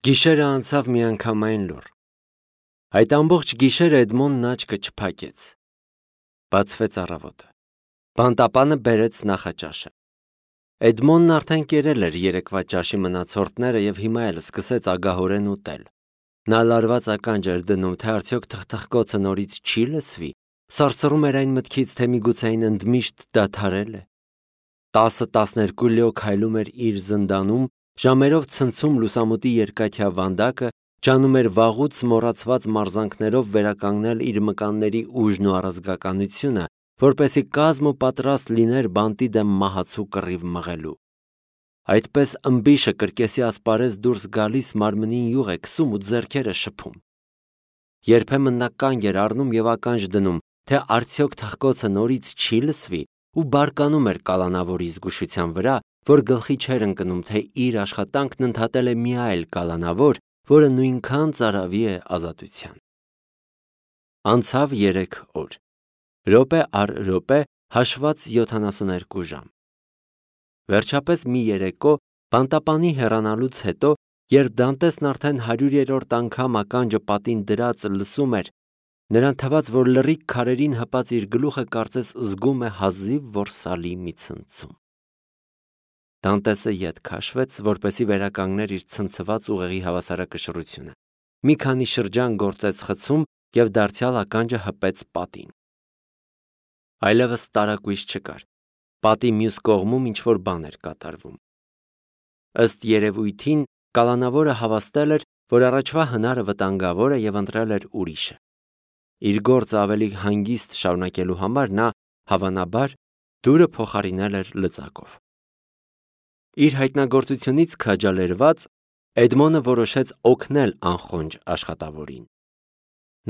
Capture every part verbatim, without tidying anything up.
Գիշերը անցավ միանգամայն լուռ։ Այդ ամբողջ գիշերը Էդմոնդն աչքը չփակեց։ Բացվեց առավոտը։ Բանտապանը բերեց նախաճաշը։ Էդմոնդն արդեն կերել էր երեկվա ճաշի մնացորդները և հիմա էլ սկսեց ագահորեն ուտել։ Նա լարված ականջ էր դնում, թե արդյոք թխթխկոցը նորից չի լսվի, սարսռում էր այն մտքից, թե միգուցե այն ընդմիշտ դադարել է։ Տասը-տասներկու լյո քայլում էր իր զնդանում, ժամերով ցնցում լուսամուտի երկաթյա վանդակը, ջանում էր վաղուց մոռացված մարզանքներով վերականգնել իր մկանների ուժն ու առազգականությունը, որպեսզի կազմ ու պատրաստ լիներ բանտի դեմ մահացու կռիվ մղելու։ Այդպես ըմբիշը կրկեսի ասպարեզ դուրս գալիս մարմնին յուղ է քսում ու ձեռքերը շփում։ Երբեմն նա կանգ էր առնում և ականջ դնում, թե արդյոք թխկոցը նորից չի լսվի, ու բարկանում էր կալանավորի զգուշության վրա, որ գլխի չէր ընկնում, թե իր աշխատանքն ընդհատել է մի այլ կալանավոր, որը նույնքան ծարավի է ազատության։ Անցավ երեք օր։ Րոպե առ րոպե հաշված յոթանասուներկու ժամ։ Վերջապես մի երեկո, բանտապանի հեռանալուց հետո, երբ Դանտեսն արդեն հարյուրերորդ անգամ ականջը պատին դրած լսում էր, նրան թվաց, որ լռիկ քարերին հպած իր գլուխը կարծես զգում է հազիվ որսալի մի ցնցում։ Դանտեսը ետ քաշվեց, որպեսզի վերականգներ իր ցնցված ուղեղի հավասարակշռությունը։ Մի քանի շրջան գործեց խցում և դարձյալ ականջը հպեց պատին։ Այլևս տարակույս չկար։ Պատի մյուս կողմում ինչ-որ բան էր կատարվում։ Ըստ երևույթին, կալանավորը հավաստել էր, որ առաջվա հնարը վտանգավոր է և ընտրել էր ուրիշը։ Իր գործը ավելի հանգիստ շարունակելու համար նա, հավանաբար, դուռը փոխարինել էր լծակով։ Իր հայտնագործությունից քաջալերված, Էդմոնդը որոշեց օգնել անխոնջ աշխատավորին։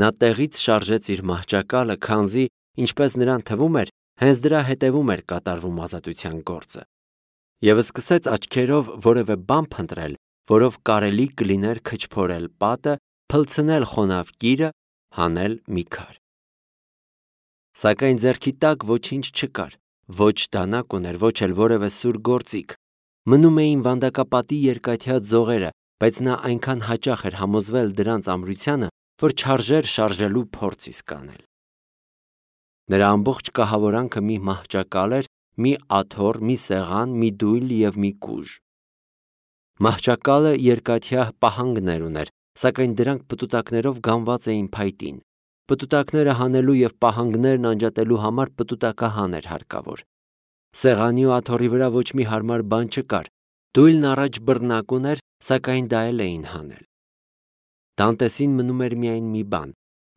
Նա տեղից շարժեց իր մահճակալը, քանզի, ինչպես նրան թվում էր, հենց դրա հետևում էր կատարվում ազատության գործը, և սկսեց աչքերով որևէ բան փնտրել, որով կարելի կլիներ քչփորել պատը, փլցնել խոնավ կիրը, հանել մի քար։ Սակայն ձեռքի տակ ոչինչ չկար, ոչ դանակ ուներ, ոչ էլ որևէ սուր գործիք։ Մնում էին վանդակապատի երկաթյա ձողերը, բայց նա այնքան հաճախ էր համոզվել դրանց ամրությանը, որ չարժեր շարժելու փորձ իսկ անել։ Նրա ամբողջ կահավորանքը մի մահճակալ էր, մի աթոռ, մի սեղան, մի դույլ և մի կուժ։ Մահճակալը երկաթյա պահանգներ ուներ, սակայն դրանք պտուտակներով գանված էին փայտին։ Պտուտակները հանելու և պահանգներն անջատելու համար պտուտակահան էր հարկավոր։ Սեղանի ու աթոռի վրա ոչ մի հարմար բան չկար։ Դույլն առաջ բռնակ ուներ, սակայն դա էլ էին հանել։ Դանտեսին մնում էր միայն մի բան՝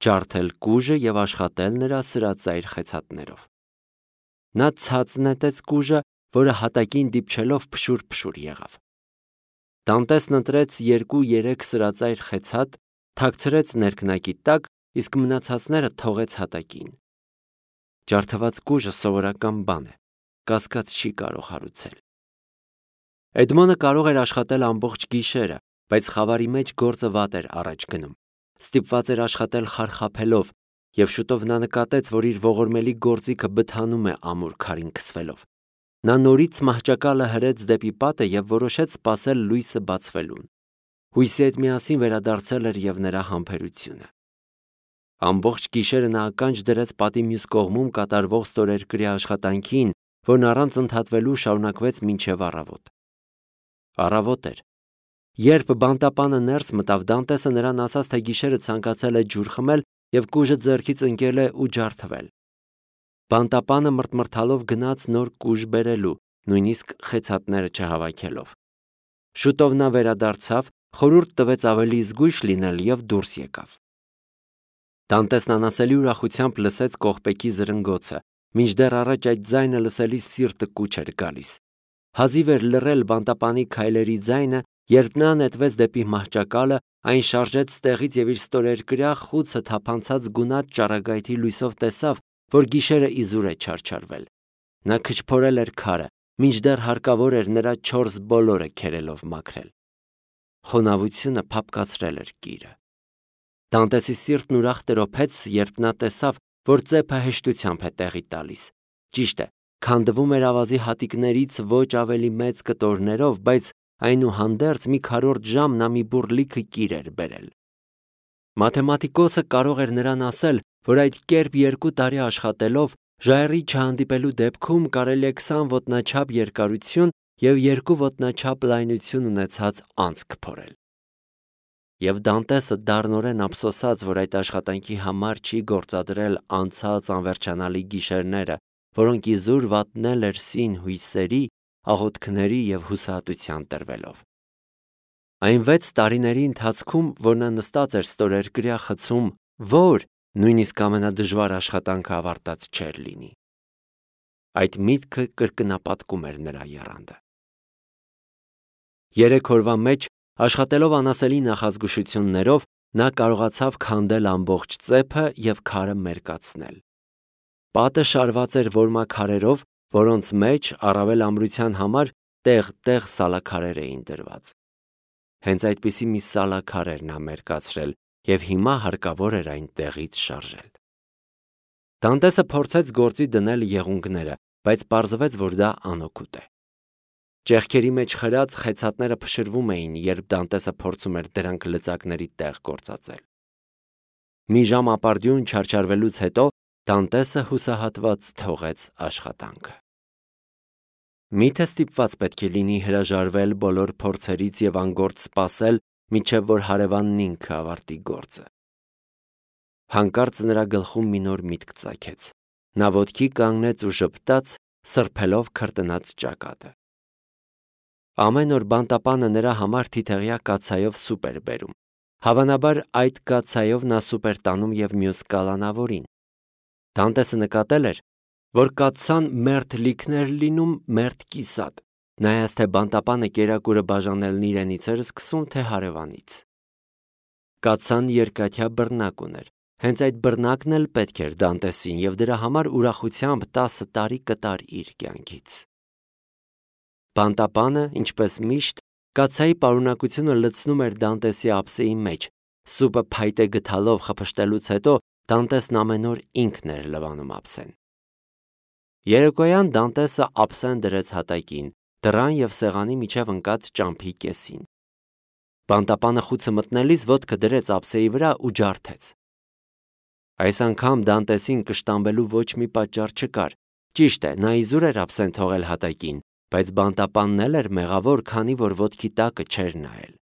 ջարդել կուժը և աշխատել նրա սրածայր խեցաթներով։ Նա ցած նետեց կուժը, որը հատակին դիպչելով փշուր-փշուր եղավ։ Դանտեսն ընտրեց երկու-երեք սրածայր խեցաթ, թաքցրեց ներքնակի տակ, իսկ մնացածները թողեց հատակին։ Ջարդված կուժը սովորական բան է, կասկած չի կարող հարուցել։ Էդմոնդը կարող էր աշխատել ամբողջ գիշերը, բայց խավարի մեջ գործը վատ էր առաջ գնում։ Ստիպված էր աշխատել խարխափելով, և շուտով նա նկատեց, որ իր ողորմելի գործիքը բթանում է ամուր քարին քսվելով։ Նա նորից մահճակալը հրեց դեպի պատը և որոշեց սպասել լույսը բացվելուն։ Հույսի հետ միասին վերադարձել էր և նրա համբերությունը։ Ամբողջ գիշերը նա ականջ դրեց պատի մյուս կողմում կատարվող ստորերկրյա աշխատանքին, որն առանց ընդհատվելու շարունակվեց մինչև առավոտ։ Առավոտ էր։ Երբ բանտապանը ներս մտավ, Դանտեսը նրան ասաց, թե գիշերը ցանկացել է ջուր խմել և կուժը ձեռքից ընկել է ու ջարդվել։ Բանտապանը մռթմռթալով գնաց նոր կուժ բերելու, նույնիսկ խեցաթները չհավաքելով։ Շուտով նա վերադարձավ, խորհուրդ տվեց ավելի զգույշ լինել և դուրս եկավ։ Դանտեսն անասելի ուրախությամբ լսեց կողպեքի զրնգոցը, մինչդեռ առաջ այդ ձայնը լսելիս սիրտը կուչ էր գալիս։ Հազիվ էր լռել բանտապանի քայլերի ձայնը, երբ նա նետվեց դեպի մահճակալը, այն շարժեց տեղից և իր ստորերկրյա խուցը թափանցած գունատ ճառագայթի լույսով տեսավ, որ գիշերը իզուր է չարչարվել։ Նա քչփորել էր քարը, մինչդեռ հարկավոր էր նրա չորս բոլորը քերելով մաքրել։ Խոնավությունը փափկացրել էր կիրը։ Դանտեսի սիրտն ուրախ տրոփեց, երբ նա տեսավ, որ ծեփը հեշտությամբ է տեղի տալիս։ Ճիշտ է, քանդվում էր ավազի հատիկներից ոչ ավելի մեծ կտորներով, բայց այնուհանդերձ մի քառորդ ժամ նա մի բուռ լիքը կիր էր բերել։ Մաթեմատիկոսը կարող էր նրան ասել, որ այդ կերպ երկու տարի աշխատելով ժայռի չհանդիպելու դեպքում կարելի է քսան ոտնաչափ երկարություն և երկու ոտնաչափ լայնություն ունեցած անցք փորել։ Եվ Դանտեսը դառնորեն ափսոսաց, որ այդ աշխատանքի համար չի գործադրել անցած անվերջանալի գիշերները, որոնք իզուր վատնել էր սին հույսերի, աղոթքների և հուսահատության տրվելով։ Այն վեց տարիների ընթացքում, որ նա նստած էր ստորերկրյա խցում, որ նույնիսկ ամենադժվար աշխատանքը ավարտած չէր լինի։ Այդ միտքը կրկնապատկում էր նրա եռանդը։ Երեք օրվա մեջ, աշխատելով անասելի նախազգուշություններով, նա կարողացավ քանդել ամբողջ ծեփը և քարը մերկացնել։ Պատը շարված էր որմաքարերով, որոնց մեջ առավել ամրության համար տեղ-տեղ սալաքարեր էին դրված։ Հենց այդպիսի մի սալաքար էր նա մերկացրել և հիմա հարկավոր էր այն տեղից շարժել։ Դանտեսը փորձեց գործի դնել եղունգները, բայց պարզվեց, որ դա անօգուտ է։ Ճեղքերի մեջ խրած խեցատները փշրվում էին, երբ Դանտեսը փորձում էր դրանք լծակների տեղ գործածել։ Մի ժամ ապարդյուն չարչարվելուց հետո Դանտեսը հուսահատված թողեց աշխատանքը։ Միթե ստիպված պետք է լինի հրաժարվել բոլոր փորձերից և անգործ սպասել, մինչև որ հարևանն ինքը ավարտի գործը։ Հանկարծ նրա գլխում մի նոր միտք ծագեց։ Նա ոտքի կանգնեց ու ժպտաց, սրբելով քրտնած ճակատը։ Ամեն օր բանտապանը նրա համար թիթեղյա կաթսայով սուպ էր բերում։ Հավանաբար այդ կաթսայով նա սուպ էր տանում և մյուս կալանավորին։ Դանտեսը նկատել էր, որ կաթսան մերթ լիքն էր լինում, մերթ կիսատ, նայած թե բանտապանը կերակուրը բաժանելն իրենից էր սկսում, թե հարևանից։ Կաթսան երկաթյա բռնակ ուներ։ Հենց այդ բռնակն էլ պետք էր Դանտեսին և դրա համար ուրախությամբ տասը տարի կտար իր կյանքից։ Բանտապանը, ինչպես միշտ, կաթսայի պարունակությունը լցնում էր Դանտեսի ափսեի մեջ։ Սուպը փայտե գթալով խփշտելուց հետո Դանտեսն ամեն օր ինքն էր լվանում ափսեն։ Երեկոյան Դանտեսը ափսեն դրեց հատակին, դռան և սեղանի միջև ընկած ճամփի կեսին։ Բանտապանը խուցը մտնելիս ոտքը դրեց ափսեի վրա ու ջարդեց։ Այս անգամ Դանտեսին կշտամբելու ոչ մի պատճառ չկար։ Ճիշտ է, նա իզուր էր ափսեն թողել հատակին, բայց բանտապանն էլ էր մեղավոր, քանի որ ոտքի տակը չէր նայել։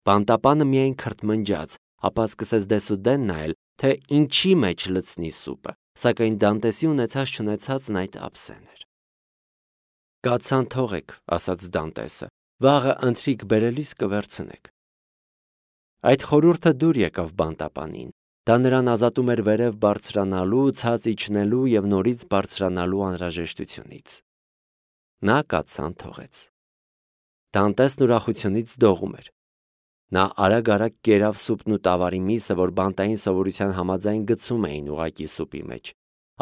Բանտապանը միայն քրթմնջաց, ապա սկսեց դեսուդեն նայել, թե ինչի մեջ լցնի սուպը, սակայն Դանտեսի ունեցած-չունեցածն այդ ափսեն էր։ Կաթսան թողեք, ասաց Դանտեսը, վաղը ընթրիք բերելիս կվերցնեք։ Այդ խորհուրդը դուր եկավ բանտապանին։ Դա նրան ազատում էր վերև բարձրանալու, ցած իջնելու և նորից բարձրանալու անհրաժեշտությունից։ Նա կաթսան թողեց։ Դանտեսն ուրախությունից դողում էր։ Նա արագ-արագ կերավ սուպն ու տավարի միսը, որ բանտային սովորության համաձայն գցում էին ուղղակի սուպի մեջ։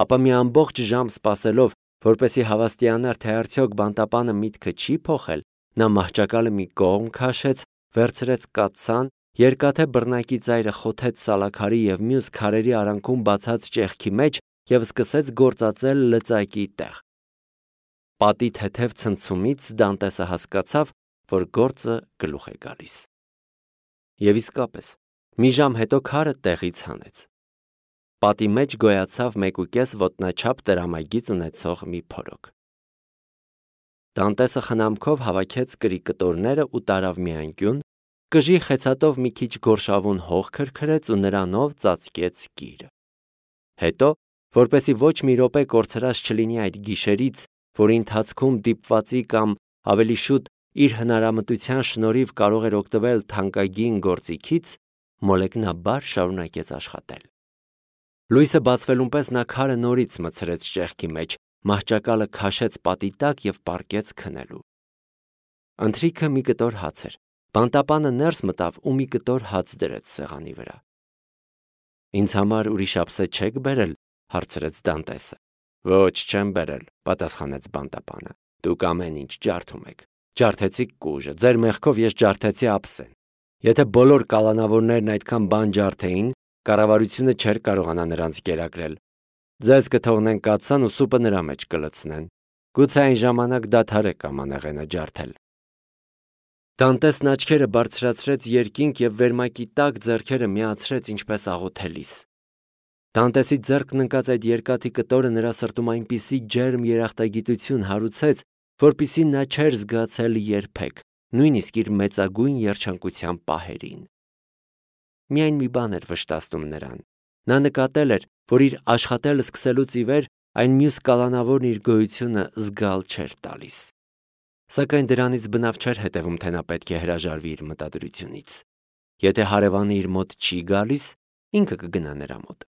Ապա մի ամբողջ ժամ սպասելով, որպեսզի հավաստիանար, թե արդյոք բանտապանը միտքը չի փոխել, նա մահճակալը մի կողմ քաշեց, վերցրեց կաթսան, երկաթե բռնակի ծայրը խոթեց սալաքարի և մյուս քարերի արանքում բացած ճեղքի մեջ և սկսեց գործածել լծակի տեղ։ Պատի թեթև ցնցումից Դանտեսը հասկացավ, որ գործը գլուխ է գալիս։ Եվ իսկապես, մի ժամ հետո քարը տեղից հանեց։ Պատի մեջ գոյացավ մեկուկես ոտնաչափ տրամագիծ ունեցող մի փորոք։ Դանտեսը խնամքով հավաքեց կրի կտորները ու տարավ մի անկյուն, կժի խեցատով մի քիչ գորշավուն հող քրքրեց ու նրանով ծածկեց կիրը։ Հետո, որպեսզի ոչ մի րոպե կորցրած չլինի այդ գիշերից, որի ընթացքում դիպվածի կամ ավելի շուտ իր հնարամտության շնորհիվ կարող էր օգտվել թանկագին գործիքից, մոլեգնաբար շարունակեց աշխատել։ Լույսը բացվելուն պես նա քարը նորից մտցրեց ճեղքի մեջ, մահճակալը քաշեց պատի տակ և պառկեց քնելու։ Ընթրիքը մի կտոր հաց էր։ Բանտապանը ներս մտավ ու մի կտոր հաց դրեց սեղանի վրա։ Ինձ համար ուրիշ ափսե չեք բերել, հարցրեց Դանտեսը։ Ոչ, չեմ բերել, պատասխանեց բանտապանը։ Դուք ամեն ինչ ջարդում եք։ Ջարդեցիք կուժը, ձեր մեղքով ես ջարդեցի ափսեն։ Եթե բոլոր կալանավորներն այդքան բան ջարդեին, կառավարությունը չէր կարողանա նրանց կերակրել։ Ձեզ կթողնեն կաթսան ու սուպը նրա մեջ կլցնեն։ Գուցե այն ժամանակ դադարեք ամանեղենը ջարդել։ Դանտեսն աչքերը բարձրացրեց երկինք և վերմակի տակ ձեռքերը միացրեց ինչպես աղոթելիս։ Դանտեսի ձեռքն ընկած այդ երկաթի կտորը նրա սրտում այնպիսի ջերմ երախտագիտություն հարուցեց, որպիսի նա չէր զգացել երբեք, նույնիսկ իր մեծագույն երջանկության պահերին։ Միայն մի բան էր վշտացնում նրան։ Նա նկատել էր, որ իր աշխատել սկսելուց ի վեր այն մյուս կալանավորն իր գոյությունը զգալ չէր տալիս։ Սակայն դրանից բնավ չէր հետևում, թե նա պետք է հրաժարվի իր մտադրությունից։ Եթե հարևանը իր մոտ չի գալիս, ինքը կգնա նրա մոտ։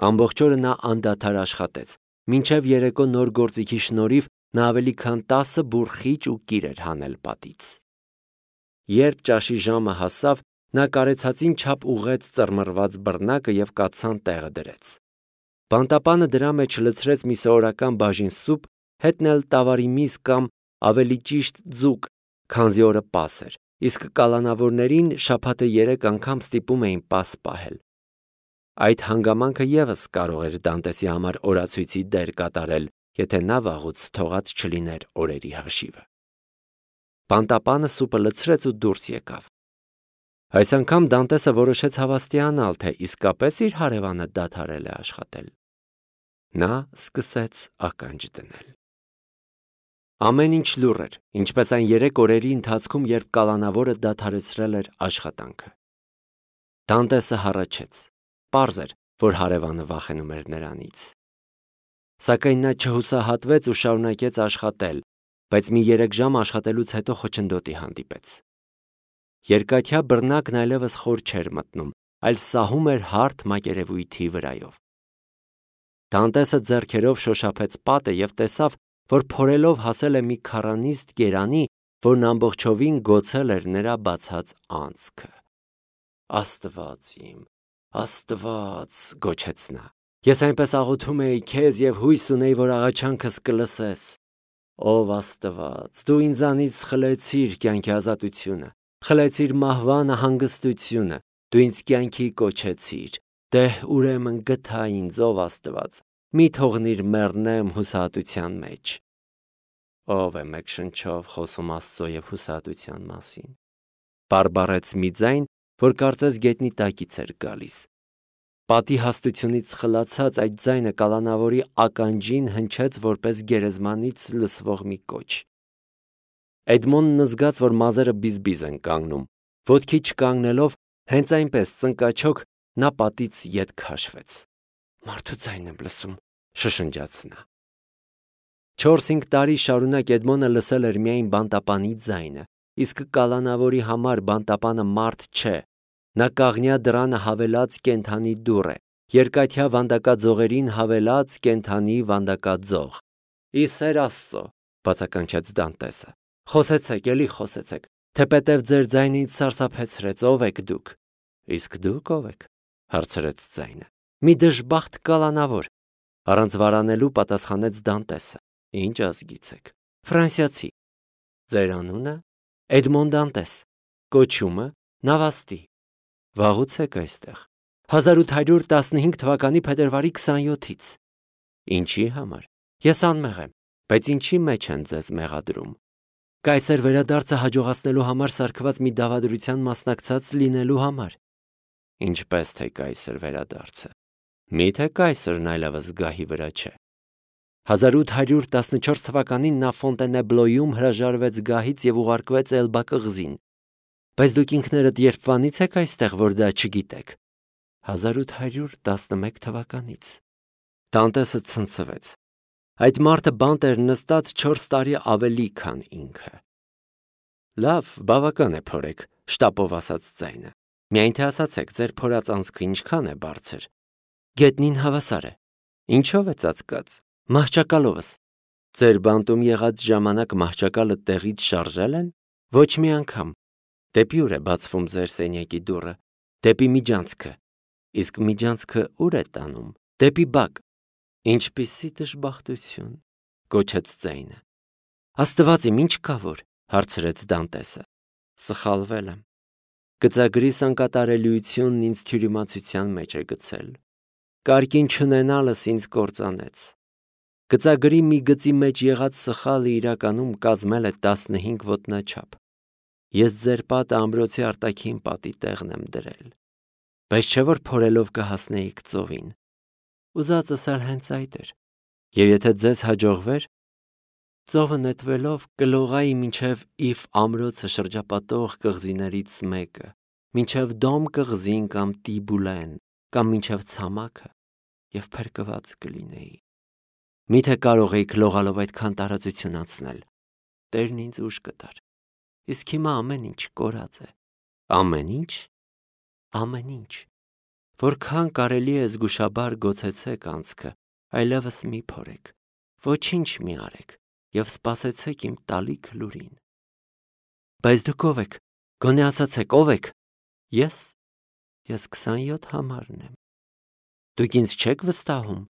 Ամբողջ օրը նա անդադար աշխատեց, մինչև երեկո նոր գործիքի շնորհիվ նա ավելի քան տասը բուռ խիճ ու կիր էր հանել պատից։ Երբ ճաշի ժամը հասավ, նա կարեցածին չափ ուղղեց ծռմռված բռնակը և կաթսան տեղը դրեց։ Բանտապանը դրա մեջ լցրեց մի սովորական բաժին սուպ, հետն էլ տավարի միս կամ ավելի ճիշտ ձուկ, քանզի օրը պաս էր, իսկ կալանավորներին շաբաթը երեք անգամ ստիպում էին պաս պահել։ Այդ հանգամանքը ևս կարող էր Դանտեսի համար օրացույցի դեր կատարել, եթե նա վաղուց թողած չլիներ օրերի հաշիվը։ Բանտապանը սուպը լցրեց ու դուրս եկավ։ Այս անգամ Դանտեսը որոշեց հավաստիանալ, թե իսկապես իր հարևանը դադարել է աշխատել։ Նա սկսեց ականջ դնել։ Ամեն ինչ լուռ էր, ինչպես այն երեք օրերի ընթացքում, երբ կալանավորը դադարեցրել էր աշխատանքը։ Դանտեսը հառաչեց։ Պարզ էր, որ հարևանը վախենում էր նրանից։ Սակայն նա չհուսահատվեց ու շարունակեց աշխատել, բայց մի երեք ժամ աշխատելուց հետո խոչընդոտի հանդիպեց։ Երկաթյա բռնակն այլևս խոր չէր մտնում, այլ սահում էր հարթ մակերևույթի վրայով։ Դանտեսը ձեռքերով շոշափեց պատը և տեսավ, որ փորելով հասել է մի քառանիստ գերանի, որն ամբողջովին գոցել էր նրա բացած անցքը։ Աստված իմ, Աստված, գոչեց նա, ես այնպես աղոթում էի քեզ և հույս ունեի, որ աղաչանքս կլսես։ Ով Աստված, դու ինձանից խլեցիր կյանքի ազատությունը, խլեցիր մահվանը հանգստությունը, դու ինձ կյանքի կոչեցիր, դե ուրեմն գթա ինձ, ով Աստված, մի թողնիր մեռնեմ հուսահատության մեջ։ Ով է մեկ շնչով խոսում Աստծո և հուսահատության մասին։ Բարբառեց մի ձայն, որ կարծես գետնի տակից էր գալիս։ Պատի հաստությունից խլացած այդ ձայնը կալանավորի ականջին հնչեց որպես գերեզմանից լսվող մի կոչ։ Էդմոնն զգաց, որ մազերը բիզբիզ են կանգնում, ոտքի չկանգնելով, հենց այնպես ծնկաչոք նա պատից ետ քաշվեց։ Մարդու ձայն եմ լսում, շշնջաց նա։ Չորս-հինգ տարի շարունակ Էդմոնը լսել էր միայն բանտապանի ձայնը, իսկ կալանավորի համար բանտապանը մարդ չէ։ Նա կաղնյա դռանը հավելած կենդանի դուռ է, երկաթյա վանդակաձողերին հավելած կենդանի վանդակաձող։ Ի սեր Աստծո, բացականչեց Դանտեսը, խոսեցեք, էլի խոսեցեք, թեպետև ձեր ձայնը ինձ սարսափեցրեց, ով եք դուք։ Իսկ դուք ով եք, հարցրեց ձայնը։ Մի դժբախտ կալանավոր, առանց վարանելու պատասխանեց Դանտեսը։ Ինչ ազգից եք։ Ֆրանսիացի։ Ձեր անունը։ Էդմոն Դանտես։ Կոչումը Նավաստի։ Վաղուց եք այստեղ։ հազար ութ հարյուր տասնհինգ թվականի փետրվարի քսանյոթից։ Ինչի համար։ Ես անմեղ եմ, բայց ինչի մեջ են ձեզ մեղադրում։ Կայսեր վերադարձը հաջողացնելու համար սարքված մի դավադրության մասնակցած լինելու համար։ Ինչպես թե կայսեր վերադարձը։ Միթե կայսրն այլևս գահի վրա չէ։ հազար ութ հարյուր տասնչորս թվականին նա Ֆոնտենեբլոյում հրաժարվեց գահից և ուղարկվեց Էլբա կղզին։ Բայց դուք ինքներդ երբվանից եք այստեղ, որ դա չգիտեք։ հազար ութ հարյուր տասնմեկ թվականից։ Դանտեսը ցնցվեց։ Այդ մարդը բանտ էր նստած չորս տարի ավելի, քան ինքը։ Լավ, բավական է փորեք, շտապով ասաց ձայնը։ Միայն թե ասացեք, ձեր փորած անցքը ինչքան է բարձր։ Գետնին հավասար է։ Ինչով է ծածկած։ Մահճակալովս։ Ձեր բանտում եղած ժամանակ մահճակալը տեղից շարժել են։ Ոչ մի անգամ։ Դեպի ուր է բացվում ձեր սենյակի դուռը։ Դեպի միջանցքը։ Իսկ միջանցքը ուր է տանում։ Դեպի բակ։ Ինչպիսի դժբախտություն, գոչեց ձայնը։ Աստված իմ, ինչ կա որ, հարցրեց Դանտեսը։ Սխալվել եմ։ Գծագրիս անկատարելիությունն ինձ թյուրիմացության մեջ է գցել։ Կարգին չունենալս ինձ կործանեց։ Գծագրի մի գծի մեջ եղած սխալը իրականում կազմել է տասնհինգ ոտնաչափ։ Ես ձեր պատը ամրոցի արտաքին պատի տեղն եմ դրել, բայց չէ որ փորելով կհասնեիք ծովին։ Ուզածս էլ հենց այդ էր, եւ եթե ձեզ հաջողվեր, ծովը նետվելով կլողայի մինչև Իվ ամրոցը շրջապատող կղզիներից մեկը, մինչև Դոմ կղզին կամ Տիբուլեն, կամ մինչև ցամաքը, եւ փրկված կլինեի։ Միթե կարող էիք լողալով այդքան տարածություն անցնել։ Տերն ինձ ուժ կտար։ Իսկ հիմա ամեն ինչ կորած է։ Ամեն ինչ։ Ամեն ինչ։ Որքան կարելի է զգուշաբար գոցեցեք անցքը, այլևս մի փորեք, ոչինչ մի արեք եւ սպասեցեք իմ տալիք լուրին։ Բայց դուք ով եք, գոնե ասացեք, ով եք։ Ես, ես քսանյոթ համարն եմ։ Դուք ինձ չեք վստահում,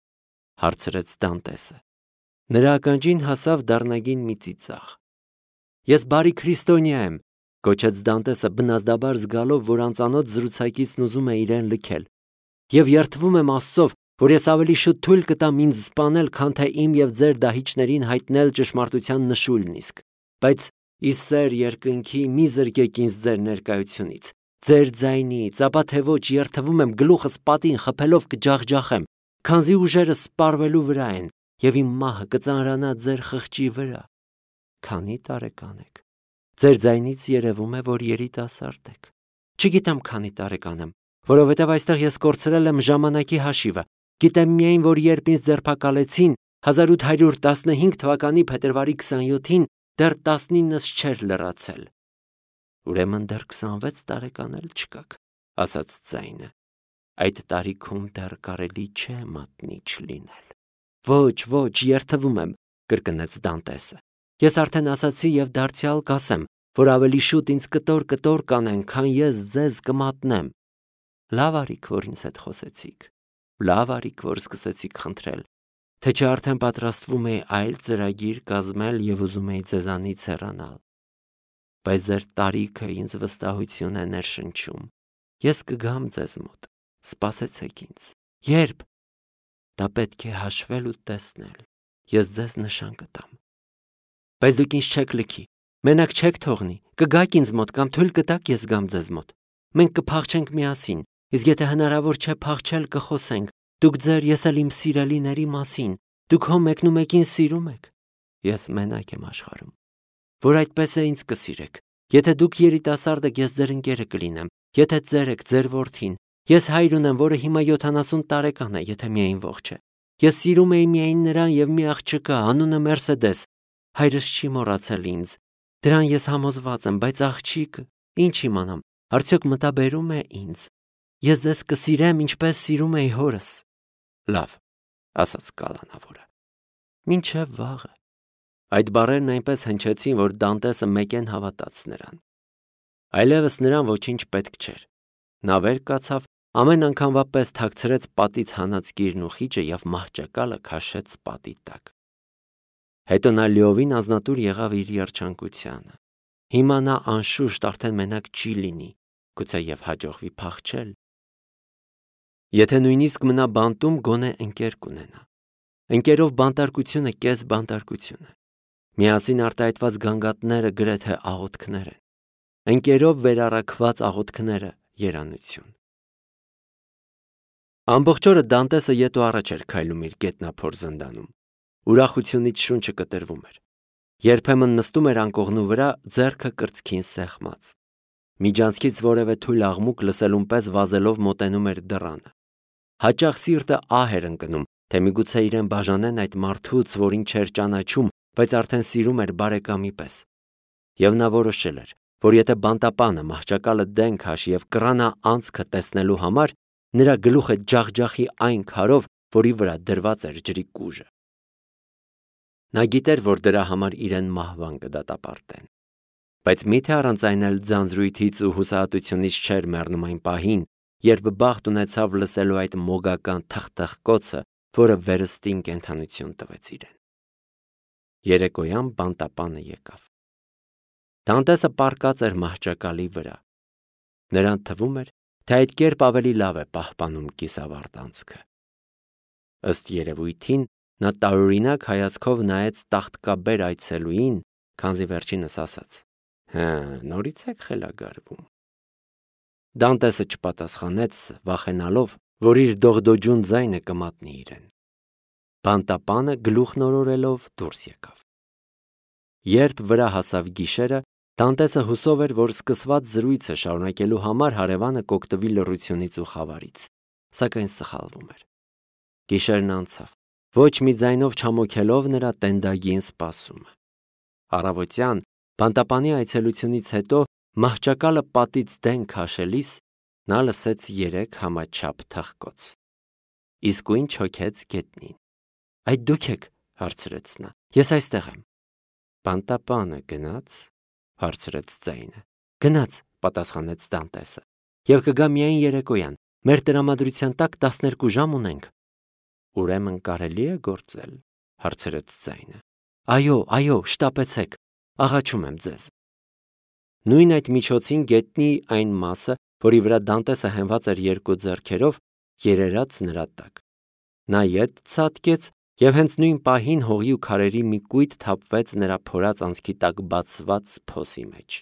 հարցրեց Դանտեսը։ Նրա ականջին հասավ դառնագին մի ծիծաղ։ Ես բարի քրիստոնյա եմ, գոչեց Դանտեսը բնազդաբար զգալով, որ անծանոթ զրուցակիցն ուզում է իրեն լքել։ Եվ երդվում եմ Աստծով, որ ես ավելի շուտ թույլ կտամ ինձ սպանել, քան թե իմ եւ ձեր դահիճներին հայտնել ճշմարտության նշույլն իսկ։ Բայց ի սեր երկնքի մի զրկեք ինձ ձեր ներկայությունից, ձեր ձայնից, ապա թե ոչ երդվում եմ գլուխս պատին խփելով կջախջախեմ, քանզի ուժերս սպառվելու վրա են, եւ իմ մահը կծանրանա ձեր խղճի վրա։ Քանի տարեկան եք։ Ձեր ձայնից երևում է, որ երիտասարդ եք։ Չգիտեմ քանի տարեկան եմ, որովհետև այստեղ ես կորցրել եմ ժամանակի հաշիվը։ Գիտեմ միայն, որ երբ ինձ ձերբակալեցին հազար ութ հարյուր տասնհինգ թվականի փետրվարի քսանյոթին, դեռ տասնինս չէր լրացել։ Ուրեմն դեռ քսանվեց տարեկան էլ չկաք, ասաց ձայնը։ Այդ տարիքում դեռ կարելի չէ մատնիչ լինել։ Ոչ, ոչ, երդվում եմ, կրկնեց Դանտեսը։ Ես արդեն ասացի եւ դարձյալ կասեմ, որ ավելի շուտ ինձ կտոր-կտոր կանեն, քան ես ձեզ կմատնեմ։ Լավ արիք, որ ինձ հետ խոսեցիք։ Լավ արիք, որ սկսեցիք խնդրել, թե չէ արդեն պատրաստվում էի այլ ծրագիր կազմել եւ ուզում էի ձեզանից հեռանալ։ Բայց ձեր տարիքը ինձ վստահություն է ներշնչում։ Ես կգամ ձեզ մոտ։ Սպասեցեք ինձ։ Երբ։ Դա պետք է հաշվել ու տեսնել։ Ես ձեզ նշան կտամ։ Բայց դուք ինձ չեք լքի։ Մենակ չեք թողնի։ Կգաք ինձ մոտ կամ թույլ կտաք ես գամ ձեզ մոտ։ Մենք կփախչենք միասին, իսկ եթե հնարավոր չէ փախչել, կխոսենք։ Դուք ձեր, ես էլ իմ սիրելիների մասին։ Դուք հո մեկնումեկին սիրում եք։ Ես մենակ եմ աշխարհում։ Որ այդպես է ինձ կսիրեք։ Եթե դուք երիտասարդ եք, ես ձեր ընկերը կլինեմ։ Եթե ձեր եք, ձեր որդին։ Ես հայր ունեմ, որը հիմա յոթանասուն տարեկան է, եթե միայն ողջ է։ Ես սիրում էի միայն նրան եւ մի աղջկա, անունը Մերսեդես։ Հայրս չի մոռացել ինձ։ Դրան ես համոզված եմ, բայց աղջիկը, ինչ իմանամ, արդյոք մտաբերում է ինձ։ Ես ձեզ կսիրեմ, ինչպես սիրում էի հորս։ Լավ, ասաց կալանավորը։ Մինչև վաղը։ Այդ բառերն այնպես հնչեցին, որ Դանտեսը մեկեն հավատաց նրան։ Այլևս նրան ոչինչ պետք չէր։ Նա վեր կացավ, ամեն անգամվա պես թաքցրեց պատից հանած գիրն ու խիճը եւ մահճակալը քաշեց պատի տակ։ Հետո նա լիովին ազնատուր եղավ իր երջանկությանը։ Հիմա նա անշուշտ արդեն մենակ չի լինի, գուցե եւ հաջողվի փախչել։ Եթե նույնիսկ մնա բանտում, գոնե ընկեր կունենա։ Ընկերով բանտարկությունը կես բանտարկություն է։ Միասին արտահայտված գանգատները գրեթե աղոթքներ են։ Ընկերով վերառակված աղոթքները երանություն։ Ամբողջ օրը Դանտեսը ետ ու առաջ էր քայլում իր գետնափոր զնդանում։ Ուրախությունից շունչը կտրվում էր։ Երբեմն նստում էր անկողնու վրա, ձեռքը կրծքին սեղմած։ Միջանցքից որևէ թույլ աղմուկ լսելուն պես վազելով մոտենում էր դռանը։ Հաճախ սիրտը ահ էր ընկնում, թե միգուցե իրեն բաժանեն այդ մարդուց, որին չէր ճանաչում, բայց արդեն սիրում էր բարեկամի պես։ Եվ նա որոշել էր, որ եթե բանտապանը մահճակալը դեն քաշի եւ կռանա անցքը տեսնելու համար, նրա գլուխը ջախջախի այն քարով, որի վրա դրված էր ջրի կուժը։ Նա գիտեր, որ դրա համար իրեն մահվան կդատապարտեն։ Բայց միթե առանց այն էլ ձանձրույթից ու հուսահատությունից չէր մեռնում այն պահին, երբ բախտ ունեցավ լսելու այդ մոգական թխթխկոցը, որը վերստին կենդանություն տվեց իրեն։ Երեկոյան բանտապանը եկավ։ Դանտեսը պառկած էր մահճակալի վրա։ Նրան թվում էր, թե այդ կերպ ավելի լավ է պահպանում կիսավարտ անցքը։ Ըստ երևույթին, նա տարօրինակ հայացքով նայեց տախտկաբեր այցելուին, քանզի վերջինս ասաց. Հա, նորից եք խելագարվում։ Դանտեսը չպատասխանեց, վախենալով, որ իր դողդոջուն ձայնը կմատնի իրեն։ Բանտապանը գլուխն օրորելով դուրս եկավ։ Երբ վրա հասավ գիշերը, Դանտեսը հուսով էր, որ սկսված զրույցը շարունակելու համար հարևանը կօգտվի լռությունից ու խավարից, սակայն սխալվում էր։ Գիշերն անցավ, ոչ մի ձայնով չամոքելով նրա տենդագին սպասումը։ Առավոտյան բանտապանի այցելությունից հետո մահճակալը պատից դեն քաշելիս նա լսեց երեք համաչափ թխկոց։ Իսկույն չոքեց գետնին։ Այդ դուք եք, հարցրեց նա։ Ես այստեղ եմ։ Բանտապանը գնաց, հարցրեց ձայնը։ Գնաց, պատասխանեց Դանտեսը։ Եվ կգա միայն երեկոյան։ Մեր տրամադրության տակ տասներկու ժամ ունենք։ Ուրեմն կարելի է գործել, հարցրեց ձայնը։ Այո, այո, շտապեցեք, աղաչում եմ ձեզ։ Նույն այդ միջոցին գետնի այն մասը, որի վրա Դանտեսը հենված էր երկու ձեռքերով, երերաց նրա տակ։ Նա ետ ցատկեց և հենց նույն պահին հողի ու քարերի մի կույտ թափվեց նրա փորած անցքի տակ բացված փոսի մեջ։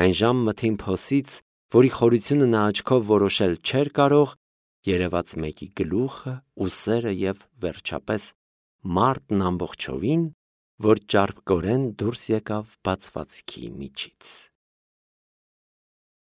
Այն ժամ մթին փոսից, որի խորությունը նա աչքով որոշել չէր կարող, երևաց մեկի գլուխը, ուսերը և, վերջապես, մարտն ամբողջովին, որ ճարպկորեն դուրս եկավ բացվածքի միջից։